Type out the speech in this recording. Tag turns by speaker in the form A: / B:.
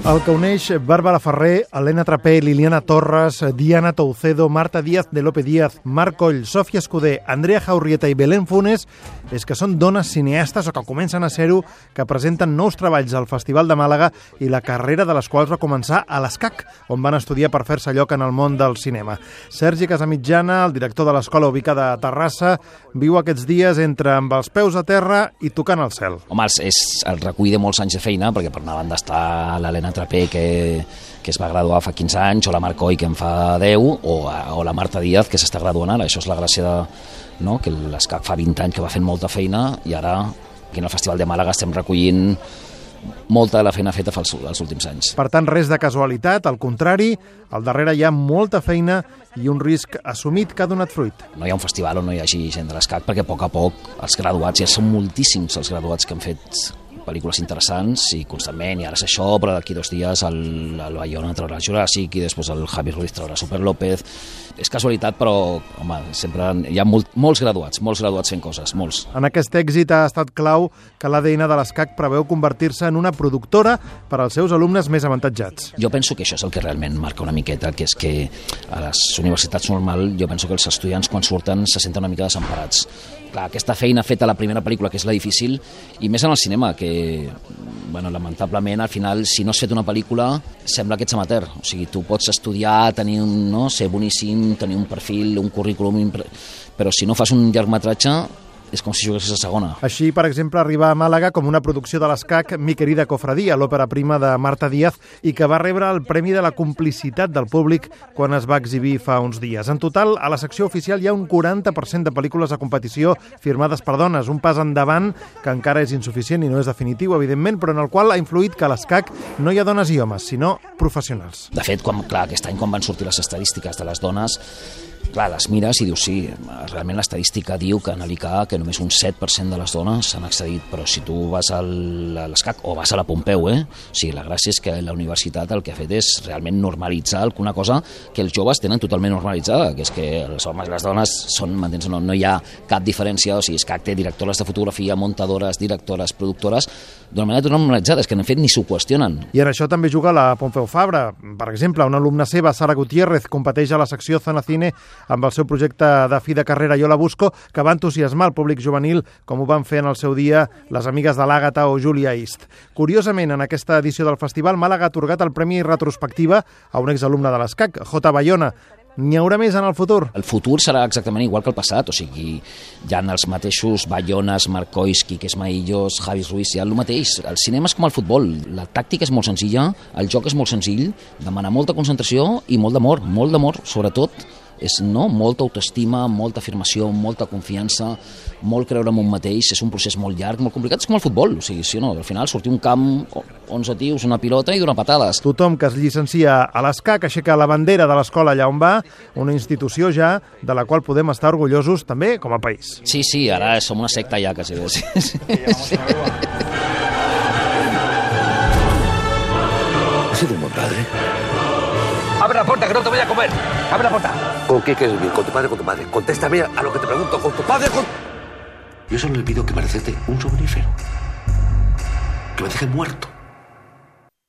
A: El que uneix Bàrbara Ferrer, Helena Trapé, Liliana Torres, Diana Toucedo, Marta Díaz de Lope Díaz, Marc Coll, Sòfia Escudé, Andrea Jaurrieta i Belén Funes és que són dones cineastes o que comencen a ser-ho, que presenten nous treballs al Festival de Màlaga i la carrera de les quals va començar a l'ESCAC, on van estudiar per fer-se lloc en el món del cinema. Sergi Casamitjana, el director de l'escola ubicada a Terrassa, viu aquests dies entre amb els peus a terra i tocant al cel.
B: Home, és el recull de molts anys de feina, perquè per una banda està l'Helena Trapé, que es va graduar fa 15 anys, o la Marc Coll, que en fa 10, o la Marta Díaz, que s'està graduant ara. Això és la gràcia que l'ESCAC fa 20 anys que va fent molta feina, i ara aquí en el Festival de Màlaga estem recollint molta de la feina feta els últims anys.
A: Per tant, res de casualitat, al contrari, al darrere hi ha molta feina i un risc assumit que ha donat fruit.
B: No hi ha un festival on no hi hagi gent de l'ESCAC, perquè a poc, els graduats, ja són moltíssims els graduats que han fet pel·lícules interessants i constantment, i ara és això, però d'aquí 2 dies el Bayona traurà Juràssic i després el Javi Ruiz traurà Super López. És casualitat, però home, sempre hi ha molts graduats fent coses, molts.
A: En aquest èxit ha estat clau que l'ADN de l'ESCAC preveu convertir-se en una productora per als seus alumnes més avantatjats.
B: Jo penso que això és el que realment marca una miqueta, que és que a les universitats normal jo penso que els estudiants quan surten se senten una mica desemparats. Clar, aquesta feina feta a la primera pel·lícula, que és la difícil, i més en el cinema, que lamentablement al final, si no has fet una pel·lícula, sembla que ets amateur. O sigui, tu pots estudiar, ser boníssim, tenir un perfil, un currículum, però si no fas un llargmetratge, és com si juguessis a segona.
A: Així, per exemple, arriba a Màlaga com una producció de l'ESCAC Mi querida cofradia, l'òpera prima de Marta Díaz, i que va rebre el Premi de la Complicitat del Públic quan es va exhibir fa uns dies. En total, a la secció oficial hi ha un 40% de pel·lícules a competició firmades per dones, un pas endavant que encara és insuficient i no és definitiu, evidentment, però en el qual ha influït que a l'ESCAC no hi ha dones i homes, sinó professionals.
B: De fet, aquest any quan van sortir les estadístiques de les dones, clar, les mires i dius, sí, realment l'estadística diu que en l'ICA que només un 7% de les dones s'han accedit, però si tu vas a l'ESCAC o vas a la Pompeu, o sigui, la gràcia és que la universitat el que ha fet és realment normalitzar una cosa que els joves tenen totalment normalitzada, que és que els homes i les dones són, m'entens, no hi ha cap diferència, o sigui, ESCAC té directores de fotografia, muntadores, directores, productores, d'una manera normalitzada, és que en fet ni s'ho qüestionen.
A: I en això també juga la Pompeu Fabra. Per exemple, una alumna seva, Sara Gutiérrez, competeix a la secció Zona Cine amb el seu projecte de fi de carrera Jo la busco, que va entusiasmar el públic juvenil, com ho van fer en el seu dia les amigues de l'Àgata o Julia East. Curiosament, en aquesta edició del festival, Màlaga ha atorgat el Premi Retrospectiva a un exalumne de l'ESCAC, J. Bayona. N'hi haurà més en el futur?
B: El futur serà exactament igual que el passat, o sigui, hi ha els mateixos Bayones, Marc Coll, Quiques Maillos, Javi Ruiz, hi ha el mateix. El cinema és com el futbol, la tàctica és molt senzilla, el joc és molt senzill, demana molta concentració i molt d'amor, sobretot, és molta autoestima, molta afirmació, molta confiança, molt creure en un mateix, és un procés molt llarg, molt complicat, és com el futbol, o sigui, sí o no, al final sortir un camp, 11 tios, una pilota i donar patades.
A: Tothom que es llicencia a l'ESCAC aixeca la bandera de l'escola allà on va, una institució ja de la qual podem estar orgullosos també com a país.
B: Sí, ara som una secta ja, quasi bé. Sí.
C: ¿Ha sido un buen padre?
D: ¡Abre la puerta, que no te voy a comer! ¡Abre la puerta!
C: ¿Con qué quieres vivir? ¿Con tu padre o con tu madre? Contéstame a lo que te pregunto. ¿Con tu padre o con...? Yo solo le pido que me recete un somnífero. Que me deje muerto.